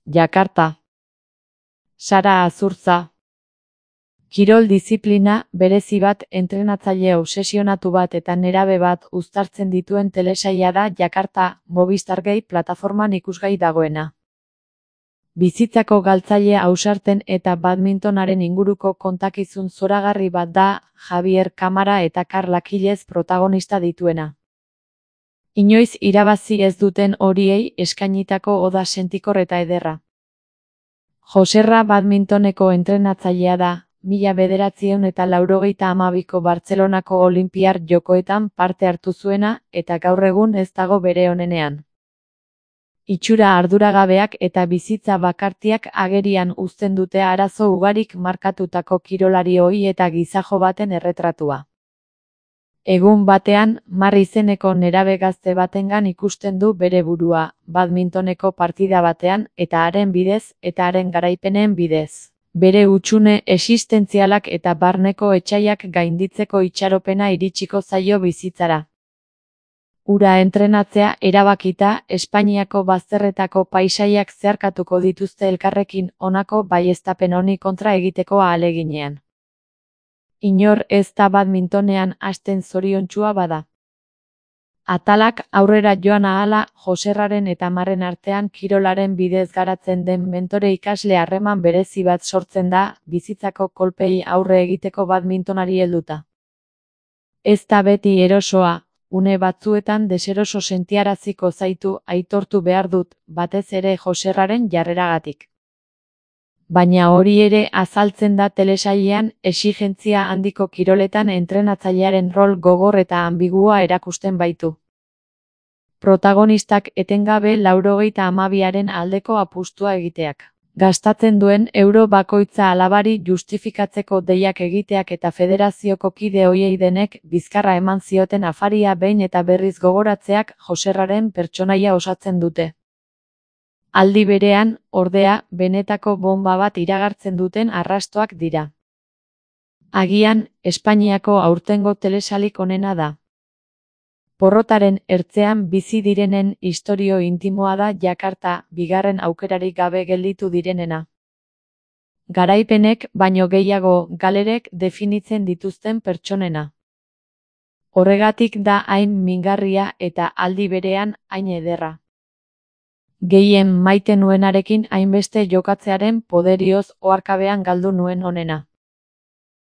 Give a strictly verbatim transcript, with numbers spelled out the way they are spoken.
Jakarta. Sara Azurtza. Kirol diziplina berezi bat, entrenatzaile obsesionatu bat eta nerabe bat uztartzen dituen telesaila da Jakarta, Movistar Gay plataforman ikusgai dagoena. Bizitzako galtzaile ausarten eta badmintonaren inguruko kontakizun zoragarri bat da, Javier Kamara eta Karla Kilez protagonista dituena. Inoiz irabazi ez duten horiei eskainitako oda sentikor eta ederra. Joserra badmintoneko entrenatzailea da, mila bederatziehun eta laurogeita hamabiko Bartzelonako Olinpiar Jokoetan parte hartu zuena eta gaur egun ez dago bere onenean. Itxura arduragabeak eta bizitza bakartiak agerian uzten dute arazo ugarik markatutako kirolari ohi eta gizajo baten erretratua. Egun batean, Mar izeneko nerabe gazte batengan ikusten du bere burua, badmintoneko partida batean, eta haren bidez, eta haren garaipenen bidez. Bere hutsune existentzialak eta barneko etsaiak gainditzeko itxaropena iritsiko zaio bizitzara. Hura entrenatzea erabakita, Espainiako bazterretako paisaiak zeharkatuko dituzte elkarrekin honako baieztapen honi kontra egiteko ahaleginean. Inor ez da badmintonean hasten zoriontsua bada. Atalak aurrera joan ahala, Joserraren eta Marren artean kirolaren bidez garatzen den mentore-ikasle harreman berezi bat sortzen da, bizitzako kolpei aurre egiteko badmintonari helduta. Ez da beti erosoa, une batzuetan deseroso sentiaraziko zaitu, aitortu behar dut, batez ere Joserraren jarreragatik. Baina hori ere azaltzen da telesailean, exigentzia handiko kiroletan entrenatzailearen rol gogor eta ambigua erakusten baitu. Protagonistak etengabe laurogeita hamabiaren aldeko apustua egiteak. Gastatzen duen euro bakoitza alabari justifikatzeko deiak egiteak eta federazioko kide ohiei denek bizkarra eman zioten afaria behin eta berriz gogoratzeak Joserraren pertsonaia osatzen dute. Aldi berean, ordea, benetako bonba bat iragartzen duten arrastoak dira. Agian, Espainiako aurtengo telesailik onena da. Porrotaren ertzean bizi direnen istorio intimoa da Jakarta, bigarren aukerarik gabe gelditu direnena. Garaipenek, baino gehiago, galerek definitzen dituzten pertsonena. Horregatik da hain mingarria eta aldi berean hain ederra. Gehien maite nuenarekin hainbeste jokatzearen poderioz oharkabean galdu nuen onena.